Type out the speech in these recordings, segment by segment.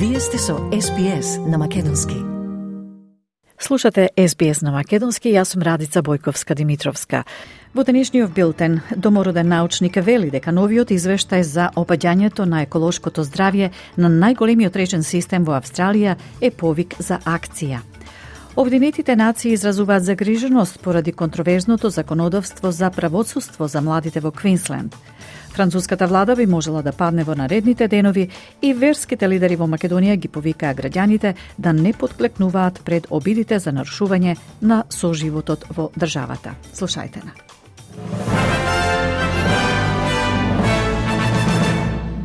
Вие сте со SBS на Македонски. Слушате SBS на Македонски, јас сум Радица Бојковска-Димитровска. Во денешниот билтен, домороден научник вели дека новиот извештај за опаѓањето на еколошкото здравје на најголемиот речен систем во Австралија е повик за акција. Обединетите нации изразуваат загриженост поради контроверзното законодавство за правосудство за младите во Квинсленд. Француската влада би можела да падне во наредните денови и верските лидери во Македонија ги повикаа граѓаните да не подклекнуваат пред обидите за нарушување на соживотот во државата. Слушајте на.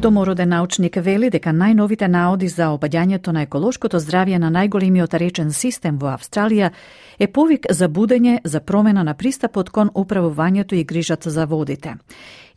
Домороден научник вели дека најновите наоди за опаѓањето на еколошкото здравје на најголемиот речен систем во Австралија е повик за будење за промена на пристапот кон управувањето и грижата за водите.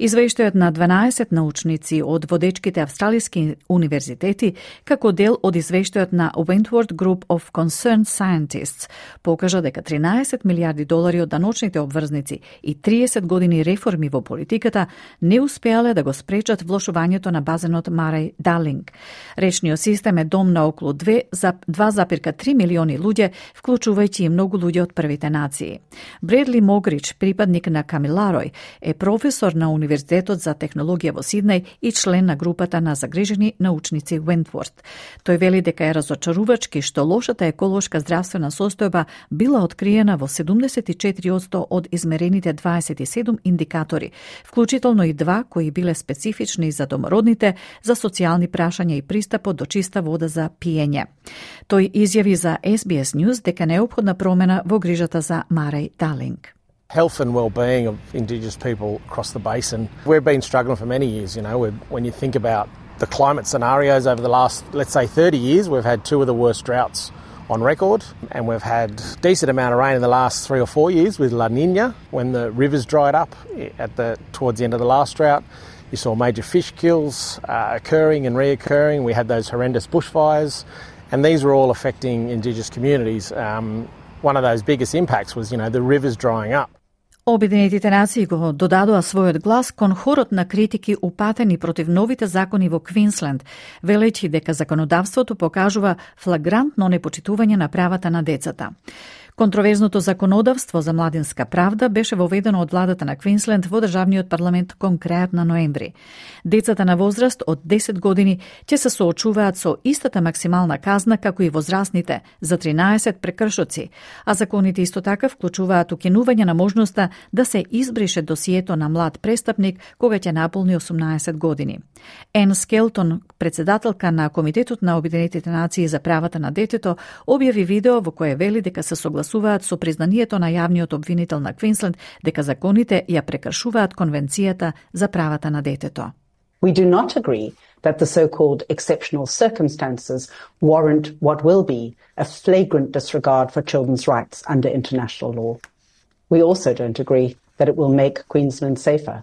Извештајот на 12 научници од водечките австралиски универзитети, како дел од извештајот на Wentworth Group of Concerned Scientists, покажа дека 13 милиарди долари од даночните обврзници и 30 години реформи во политиката не успеале да го спречат влошувањето на базенот Марај-Дарлинг. Речниот систем е дом на околу 2,3 милиони луѓе, вклучувајќи и многу луѓе од првите нации. Бредли Могрич, припадник на Камиларој, е професор на Универзитетот за технологија во Сиднеј и член на групата на загрижени научници Wentworth. Тој вели дека е разочарувачки што лошата еколошка здравствена состојба била откриена во 74% од измерените 27 индикатори, вклучително и 2 кои биле специфични за домородните, за социјални прашања и пристапот до чиста вода за пиење. Тој изјави за SBS News дека неопходна промена во грижата за Марај-Дарлинг. Health and well-being of Indigenous people across the basin. We've been struggling for many years, when you think about the climate scenarios over the last, let's say 30 years, we've had 2 of the worst droughts on record, and we've had decent amount of rain in the last 3 or 4 years with La Niña, when the rivers dried up towards the end of the last drought. You saw major fish kills occurring and reoccurring. We had those horrendous bushfires, and these were all affecting Indigenous communities. One of those biggest impacts was, the rivers drying up. Обединетите нации го додадоа својот глас кон хорот на критики упатени против новите закони во Квинсленд, велејќи дека законодавството покажува флагрантно непочитување на правата на децата. Контроверзното законодавство за младинска правда беше воведено од владата на Квинсленд во државниот парламент кон крајот на ноември. Децата на возраст од 10 години ќе се соочуваат со истата максимална казна како и возрастните за 13 прекршоци, а законите исто така вклучуваат укинување на можноста да се избрише досието на млад престапник кога ќе наполни 18 години. Ен Скелтон, председателка на Комитетот на Обединетите нации за правата на детето, објави видео во кое вели дека се согласуваат со признанието на јавниот обвинител на Квинсленд дека законите ја прекршуваат Конвенцијата за правата на детето. We do not agree that the so-called exceptional circumstances warrant what will be a flagrant disregard for children's rights under international law. We also don't agree that it will make Queensland safer.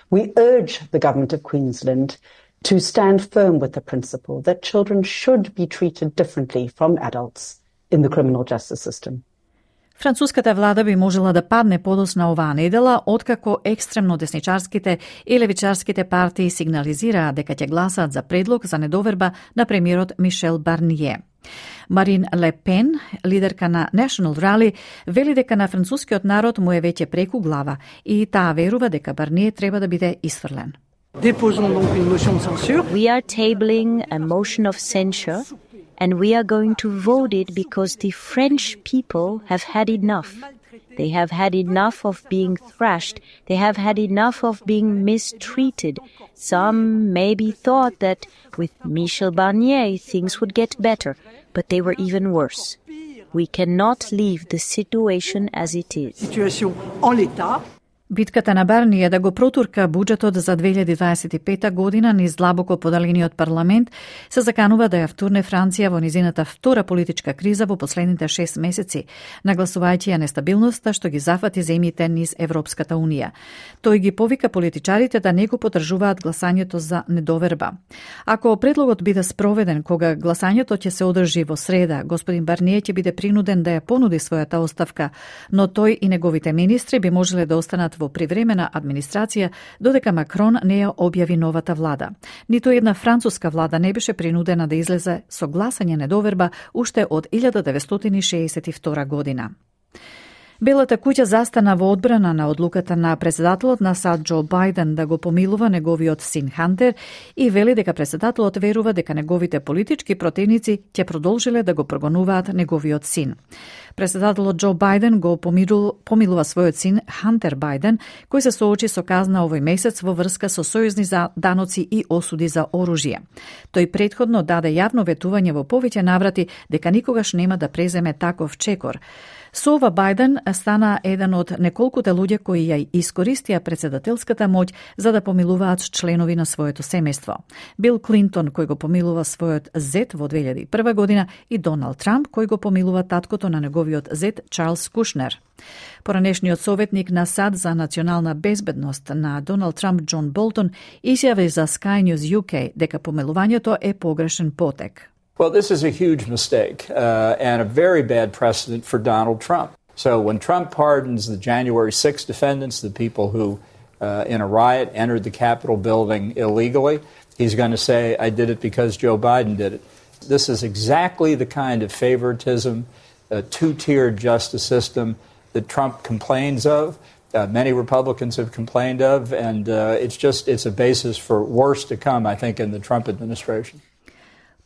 We urge the Government of Queensland to stand firm with the principle that children should be treated differently from adults in the criminal justice system. Француската влада би можела да падне подоцна оваа недела, откако екстремно десничарските и левичарските партии сигнализираа дека ќе гласаат за предлог за недоверба на премиерот Мишел Барние. Марин Ле Пен, лидерка на National Rally, вели дека на францускиот народ му е веќе преку глава и таа верува дека Барние треба да биде исфрлен. We are tabling a motion of censure and we are going to vote it because the French people have had enough. They have had enough of being thrashed. They have had enough of being mistreated. Some maybe thought that with Michel Barnier things would get better, but they were even worse. We cannot leave the situation as it is. Битката на Барние да го протурка буџетот за 2025 година низ длабоко подалениот парламент се заканува да ја втурне Франција во низината втора политичка криза во последните 6 месеци, нагласувајќи ја нестабилноста што ги зафати земјите низ Европската унија. Тој ги повика политичарите да не го поддржуваат гласањето за недоверба. Ако предлогот биде спроведен кога гласањето ќе се одржи во среда, господин Барние ќе биде принуден да ја понуди својата оставка, но тој и неговите министри би можеле да останат во привремена администрација додека Макрон не ја објави новата влада. Ниту една француска влада не беше принудена да излезе со гласање недоверба уште од 1962 година. Белата куќа застана во одбрана на одлуката на председателот на САД Џо Бајден да го помилува неговиот син Хантер и вели дека председателот верува дека неговите политички противници ќе продолжиле да го прогонуваат неговиот син. Председателот Џо Бајден го помилува својот син Хантер Бајден, кој се соочи со казна овој месец во врска со сојузни за даноци и осуди за оружје. Тој претходно даде јавно ветување во повеќе наврати дека никогаш нема да преземе таков чекор. Со ова Бајден стана еден од неколкуте луѓе кои ја искористија председателската моќ за да помилуваат членови на своето семејство. Бил Клинтон кој го помилува својот зет во 2001 година и Доналд Трамп кој го помилува таткото на неговиот зет Чарлс Кушнер. Поранешниот советник на САД за национална безбедност на Доналд Трамп Џон Болтон изјави за Sky News UK дека помилувањето е погрешен потек. Well, this is a huge mistake and a very bad precedent for Donald Trump. So when Trump pardons the January 6 defendants, the people who in a riot entered the Capitol building illegally, he's going to say, I did it because Joe Biden did it. This is exactly the kind of favoritism, a two-tiered justice system that Trump complains of, many Republicans have complained of, and it's a basis for worse to come, I think, in the Trump administration.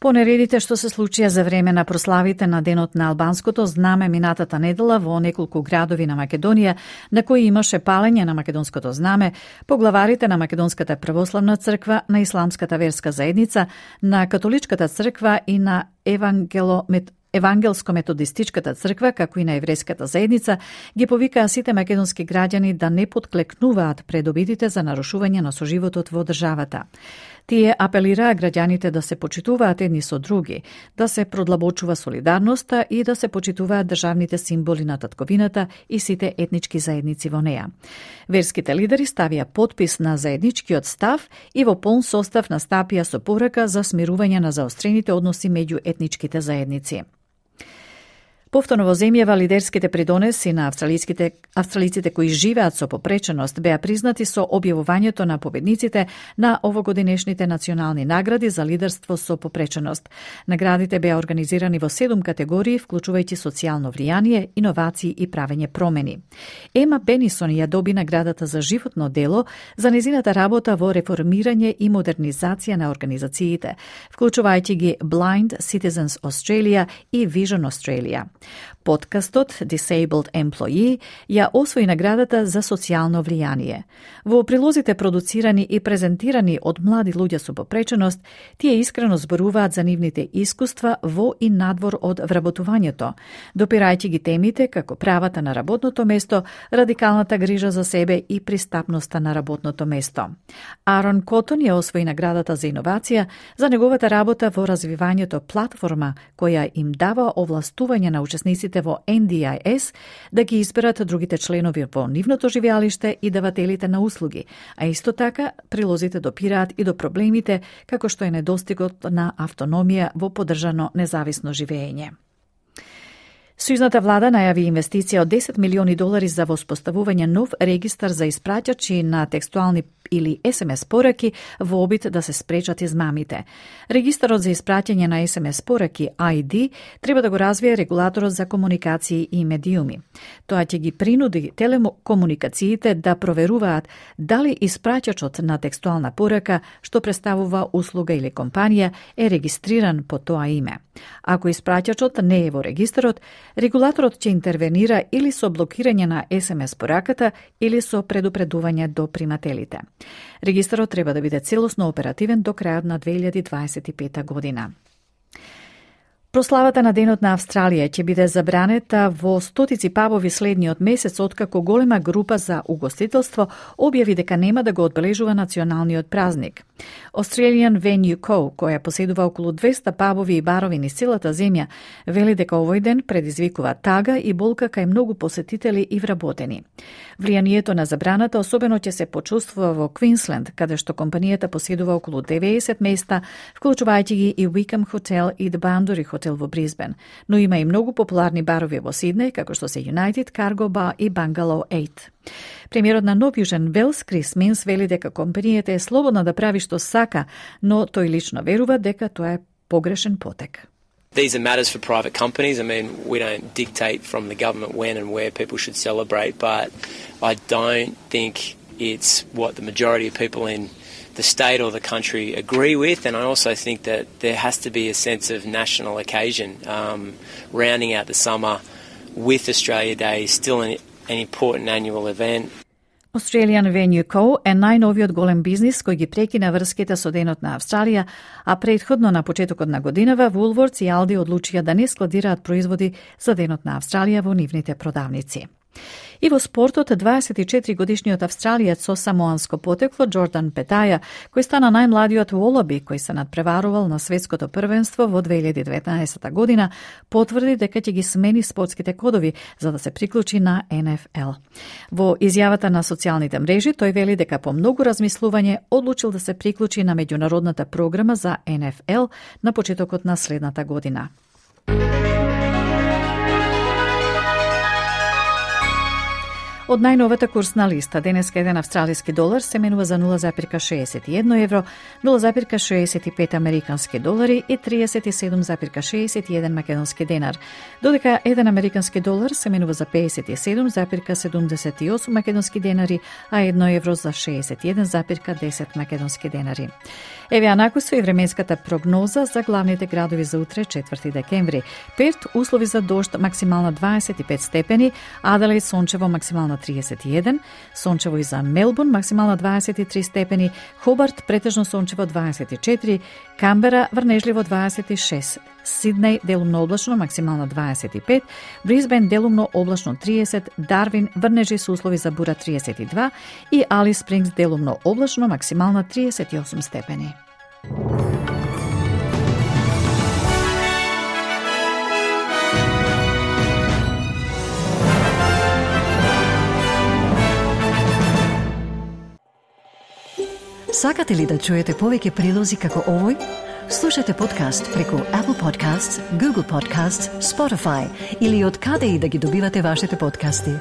По нередите што се случија за време на прославите на Денот на албанското знаме минатата недела во неколку градови на Македонија, на кои имаше палење на македонското знаме, поглаварите на Македонската православна црква, на Исламската верска заедница, на Католичката црква и на Евангелско-методистичката црква, како и на еврејската заедница, ги повикаа сите македонски граѓани да не подклекнуваат пред обидите за нарушување на соживотот во државата. Тие апелираа граѓаните да се почитуваат едни со други, да се продлабочува солидарноста и да се почитуваат државните символи на татковината и сите етнички заедници во неа. Верските лидери ставија потпис на заедничкиот став и во полн состав настапија со порака за смирување на заострените односи меѓу етничките заедници. Повторно во земјава лидерските придонеси на австралиците кои живеат со попреченост беа признати со објавувањето на победниците на овогодинешните национални награди за лидерство со попреченост. Наградите беа организирани во 7 категории, вклучувајќи социјално влијание, иновации и правење промени. Ема Бенисон ја доби наградата за животно дело за незината работа во реформирање и модернизација на организациите, вклучувајќи ги Blind Citizens Australia и Vision Australia. Подкастот Disabled Employee ја освои наградата за социјално влијание. Во прилозите продуцирани и презентирани од млади луѓе со попреченост, тие искрено зборуваат за нивните искуства во и надвор од вработувањето, допирајќи ги темите како правата на работното место, радикалната грижа за себе и пристапноста на работното место. Арон Котон ја освои наградата за иновација за неговата работа во развивањето платформа која им дава овластување на учесниците во NDIS да ги изберат другите членови во нивното живеалиште и давателите на услуги, а исто така прилозите допираат и до проблемите како што е недостигот на автономија во поддржано независно живење. Сојузната влада најави инвестиција од $10 милиони за воспоставување нов регистар за испраќачи на текстуални или SMS пораки во обид да се спречат измамите. Регистарот за испраќање на SMS пораки ID треба да го развие регулаторот за комуникации и медиуми. Тоа ќе ги принуди телекомуникациите да проверуваат дали испраќачот на текстуална порака што представува услуга или компанија е регистриран по тоа име. Ако испраќачот не е во регистарот, регулаторот ќе интервенира или со блокирање на SMS пораката или со предупредување до примателите. Регистарот треба да биде целосно оперативен до крајот на 2025 година. Прославата на Денот на Австралија ќе биде забранета во стотици пабови следниот месец, откако голема група за угостителство објави дека нема да го одбележува националниот празник. Australian Venue Co., која поседува околу 200 пабови и барови низ целата земја, вели дека овој ден предизвикува тага и болка кај многу посетители и вработени. Влијанието на забраната особено ќе се почувствува во Квинсленд, каде што компанијата поседува околу 90 места, вклучувајќи ги и Wickham Hotel и The Boundary Hotel хотел во Брисбен, но има и многу популарни барови во Сиднеј, како што се United, Cargo Bar и Bungalow 8. Премиерот на Нов Јужен Велс, Крис Минс, вели дека компанијата е слободна да прави што сака, но тој лично верува дека тоа е погрешен потек. These are matters for private companies. I mean, we don't dictate from the government when and where people should celebrate, but I don't think it's what the majority of people in the state or the country agree with, and I also think that there has to be a sense of national occasion. Rounding out the summer with Australia Day is still an important annual event. Australian Venue Co. е најновиот голем бизнис кој ги прекина врските со Денот на Австралија, а претходно на почетокот на годинава Woolworths и Aldi одлучија да не складираат производи за Денот на Австралија во нивните продавници. И во спортот, 24-годишниот австралиец со самоанско потекло Джордан Петаја, кој стана најмладиот волоби кој се надпреварувал на светското првенство во 2019 година, потврди дека ќе ги смени спортските кодови за да се приклучи на НФЛ. Во изјавата на социјалните мрежи, тој вели дека по многу размислување одлучил да се приклучи на меѓународната програма за НФЛ на почетокот на следната година. Од најновата курсна листа, денеска еден австралиски долар се менува за 0,61 евро, 0,65 американски долари и 37,61 македонски денар, додека еден американски долар се менува за 57,78 македонски денари, а 1 евро за 61,10 македонски денари. Еве анакусо и временската прогноза за главните градови за утре, 4 декември. Перт, услови за дожд, максимална 25 степени, Аделаид сончево, максимална 31, сончево и за Мелбурн, максимална 23 степени, Хобарт, претежно сончево 24, Камбера, врнежливо 26, Сиднеј, делумно облачно, максимална 25, Брисбен, делумно облачно 30, Дарвин, врнежи со услови за бура 32 и Алис Спрингс, делумно облачно, максимална 38 степени. Сакате ли да чуете повеќе прилози како овој? Слушате подкаст преку Apple Podcasts, Google Podcasts, Spotify или од каде и да ги добивате вашите подкасти.